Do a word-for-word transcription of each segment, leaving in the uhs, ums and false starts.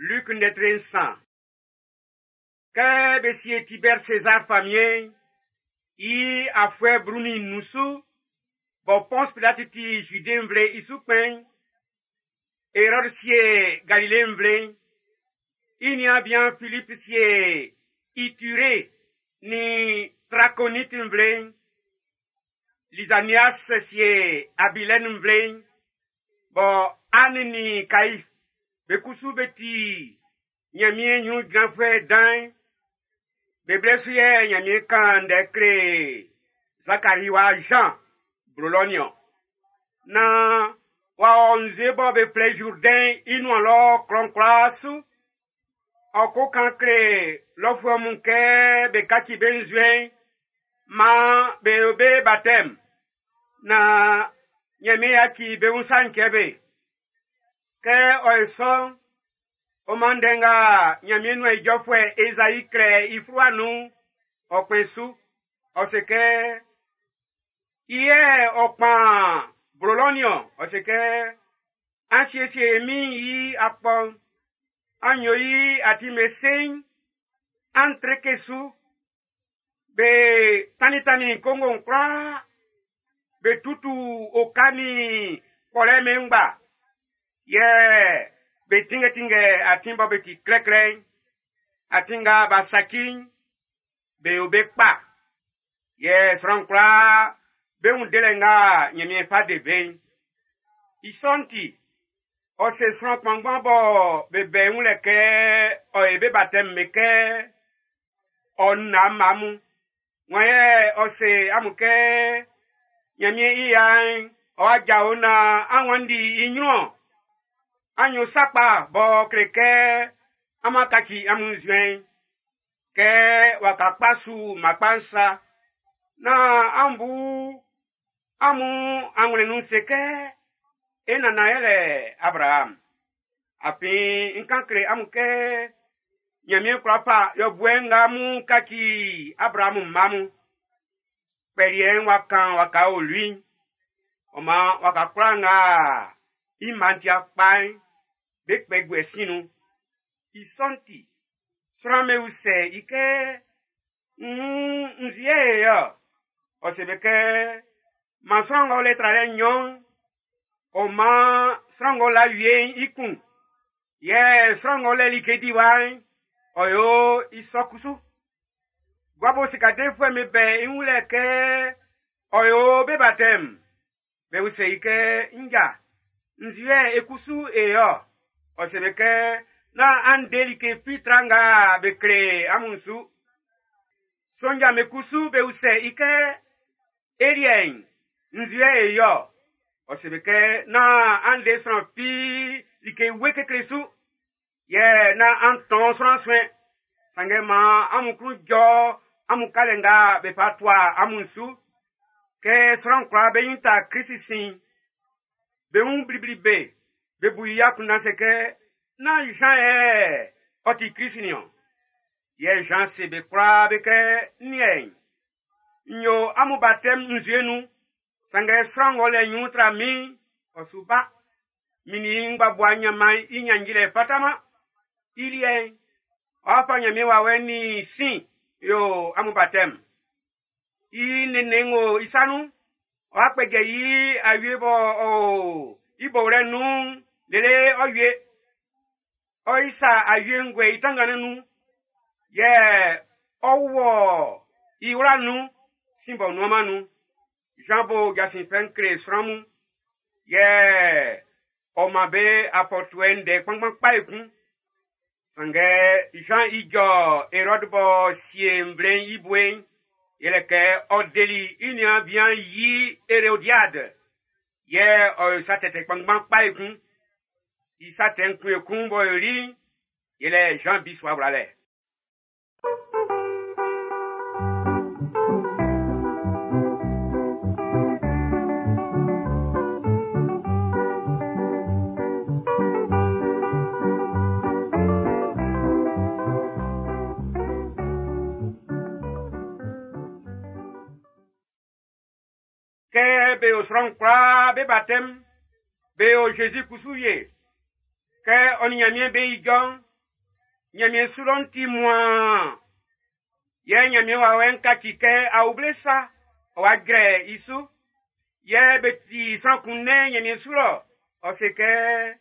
Luc ndɛtre nsan. Kɛ be sie Tibɛr Sezar famiɛn'n, i afuɛ blu-nin-nnun su, bɔ Pɔns Pilati ti Zude nvle i su kpɛn'n, Erɔd sie Galile nvle'n, i niaan bian Filip sie Iture nin Trakonit nvle'n, Lizanias sie Abilɛn nvle'n, bɔ An nin Kaif be kusu be ti Nyanmiɛn nyrun jranfuɛ dan'n, be blɛ su yɛ Nyanmiɛn kan ndɛ kle Zakari wa Jean blo lɔ nin-ɔn. Nan w'a ɔ nzue bɔ be flɛ i Zurdɛn'n i nuan lɔ klɔ'n kwlaa su. Ɔ ko kan kle lɔfuɛ mun kɛ be kaci be nzuɛn'n, maan be yo be batɛm, naan Nyanmiɛn yaci be wun sa'n cɛ be. Kɛ ɔ ye sɔ'n, ɔ man ndɛ nga Nyanmiɛn nuan ijɔfuɛ Ezai klɛ i fluwa nun'n, ɔ kpɛn su. Ɔ se kɛ, i yɛ ɔ kpan blo lɔ nin-ɔn, ɔ se kɛ, an siesie min i akpɔ'n, an yo i atin be seiin, an treke su, be tannintannin kongo'n kwlaa, be tutu oka nin kpɔlɛ be ngba, yɛ be tinngɛtinngɛ atin bɔ be ti klɛklɛ'n, atin nga b'a saci'n, be yo be kpa. Yɛ sran kwlaa be wun delɛ nga Nyanmiɛn fa de be'n. I sɔ'n ti, ɔ se sran kpanngban bɔ be bɛ i wun lɛ kɛ ɔ ye be batɛm be kɛ ɔ na mma mun. Wan yɛ ɔ se amun kɛ Nyanmiɛn i ya'n ɔ'a jao nan an wanndi i nyrun-ɔn. An yo sa kpa b'ɔ kle kɛ an ma kaci amun nzuɛn'n, kɛ waka kpa su mma kpa'n sa. Nan an bu amun anwlɛn nun se kɛ, e nannan yɛlɛ Abraham. Afin n kan kle amun kɛ Nyanmiɛn kwla fa yɔbuɛ nga mun kaci Abraham mma mun. Kpɛliɛ'n wa kan waka olui'n. Ɔ man waka kwlaa nga i mma'n ti kpa'n, be kpɛ guɛ sin nun. I sɔ'n ti, sran'm be usɛ i kɛ, nn nzie yɛ ɔ se be kɛ, man sran ng'ɔ le tralɛ nnyɔn'n, ɔ man sran ng'ɔ la wie'n i kun. Yɛ sran ng'ɔ lɛ like diwa'n, ɔ yo i sɔ kusu. Guabo sikadefuɛ'm be bɛ i wun lɛ kɛ ɔ yo be batɛm. Be usɛ i kɛ, nja, nzue e kusu e yɔ. Ɔ se be kɛ, nán an de like fi tra nga be kle amun su. Sonja'm be kusu be usɛ i kɛ, e liɛ'n, nzue e yɔ. Ɔ se be kɛ, nán an de sran fi like we kekle su. Yɛ nán an tɔn sran suɛn. Sanngɛ maan amun klun jɔ amun kalɛ nga be fa tua amun su. Kɛ sran kwlaa be nyin ta Krist sin, be wun blibli be, be bu i akunndan se kɛ, nán Jean yɛ ɔ ti Krist nin-ɔn. Yɛ Jean se be kwlaa be kɛ, n liɛ'n, n yo amun batɛm nzue nun, sanngɛ sran ng'ɔ lɛ nyrun tra min'n, ɔ su ba. Min nin ngbabua nyanman'n i nyanjilɛ fataman. I liɛ'n, ɔ'a fa Nyanmiɛn wawɛ nin sin yo amun batɛm. I nene ng'o i sa nun, ɔ'a kpɛjɛ i awie bɔ ɔ o i bowlɛ nun lele ɔ wie. Ɔ isa awie nguɛ i tanngannin nun, yɛ ɔ wɔ i wla nun sin bɔ nuanman nun. Jean bo jasin fɛ'n kle sran mun, yɛ ɔ man be afɔtuɛ ndɛ kpanngban kpa ekun. Sanngɛ Jean i jɔ Erɔd b'ɔ sie nvle'n i bue'n, yɛlɛ kɛ ɔ deli i niaan bian yi Erodiad, yɛ ɔ yo sa tɛtɛ kpanngban kpa ekun. I sa tɛ'n kun ekun b'ɔ yoli'n, yɛlɛ Jean bisua wlalɛ. Kɛ be yo sran kwlaa be batɛm, be yo Jésus kusu ye. Kɛ ɔ nin Nyanmiɛn be ijɔ'n, Ɲanmiɛn su lɔ'n ti muaan. Yɛ Ɲanmiɛn wawɛ'n kaci kɛ awuble sa, ɔ wa jrɛ i su. Yɛ be ti sran kun nɛn Ɲanmiɛn su lɔ, ɔ se kɛ,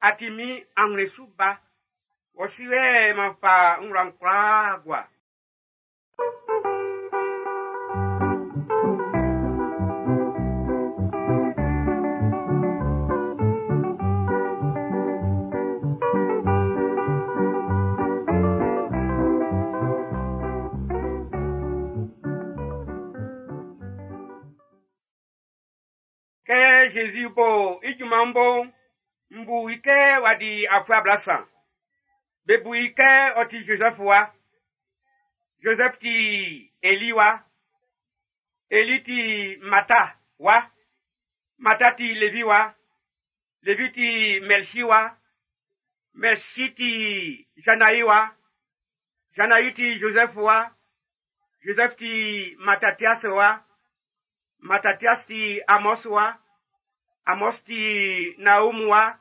a ti min anwlɛn su ba. Wɔ su yɛ m'an fa n wla'n kwlaa gua. Kɛ Jésus bo i junman'n bo'n, n bu i kɛ w'a di afuɛ ablasan. Be bu i kɛ ɔ ti Joseph wa. Joseph ti Eli wa. Eli ti Mata wa. Mata ti Levi wa. Levi ti Melchi wa. Melchi ti Janaï wa. Janaï ti Joseph wa. Joseph ti Mattathias wa. Mattathias ti Amos wa. Amos ti Naum wa.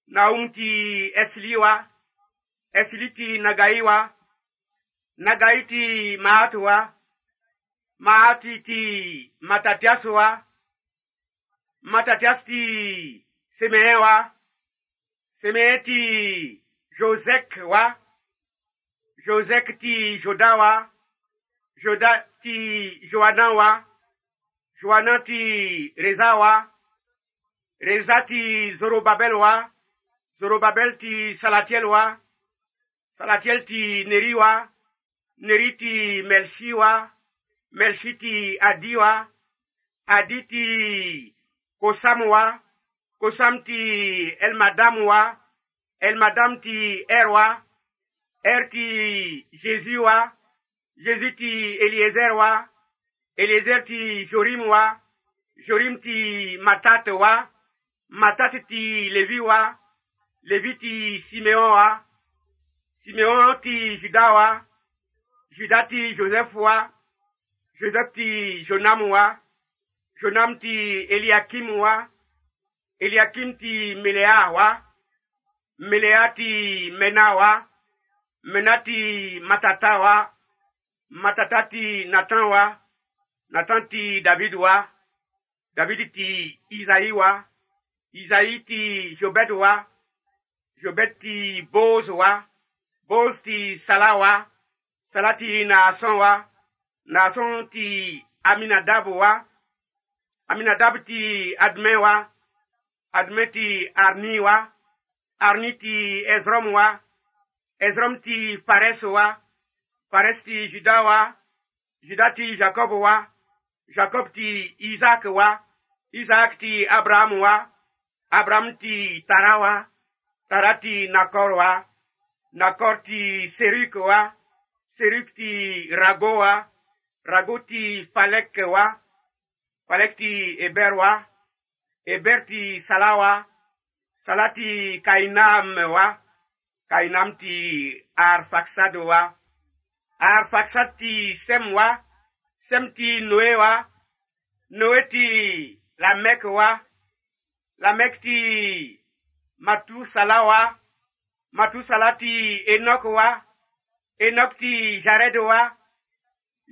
Naum ti Esli wa. Esli ti Nagai wa. Nagai ti Maat wa. Maat ti Mattathias wa. Mattathias ti Semeen wa. Semeen ti Josek wa. Josek ti Joda wa. Joda ti Joanan wa. Joanan ti Reza wa. Reza ti Zorobabel wa. Zorobabel ti Salatiel wa. Salatiel ti Neri wa. Neri ti Melchi wa. Melchi ti Adi wa. Adi ti Kosam wa. Kosam ti Elmadam wa. Elmadam ti Er wa. Er ti Jésus wa. Jésus ti Eliezer wa. Eliezer ti Jorim wa. Jorim ti Matat wa. Matat ti Lévi wa. Lévi ti Siméon wa. Siméon ti Juda wa. Juda ti Joseph wa. Joseph ti Jonam wa. Jonam ti Eliakim wa. Eliakim ti Melea wa. Melea ti Mena wa. Mena ti Matata wa. Matata ti Nathan wa. Nathan ti David wa. David ti Isaïe wa. Isaïe ti Jobed wa. Jobed ti Boz wa. Boz ti Salah wa. Salah ti Naasson wa. Naasson ti Aminadab wa. Aminadab ti Admin wa. Admin ti Arni wa. Arni ti Ezrom wa. Ezrom ti Phares wa. Phares ti Juda wa. Juda ti Jacob wa. Jacob ti Isaac wa. Isaac ti Abraham wa. Abraham ti Tara wa. Tara ti Nakor wa. Nakor ti Seruk wa. Seruk ti Rago wa. Rago ti Falek wa. Falek ti Eber wa. Eber ti Sala wa. Sala ti Kainam wa. Kainam ti Arfaxad wa. Arfaxad ti Sem wa. Sem ti Noé wa. Noé ti Lamech wa. Lamech ti Matusala wa. Matusala ti Enoch wa. Enoch ti Jared wa.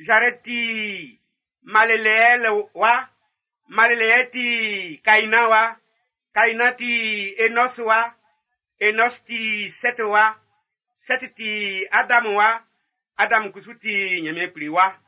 Jared ti Maleleel wa. Maleleel ti Kaina wa. Kaina ti Enos wa. Enos ti Set wa. Set ti Adam wa. Adam kusu ti Ɲanmiɛn Kpli wa.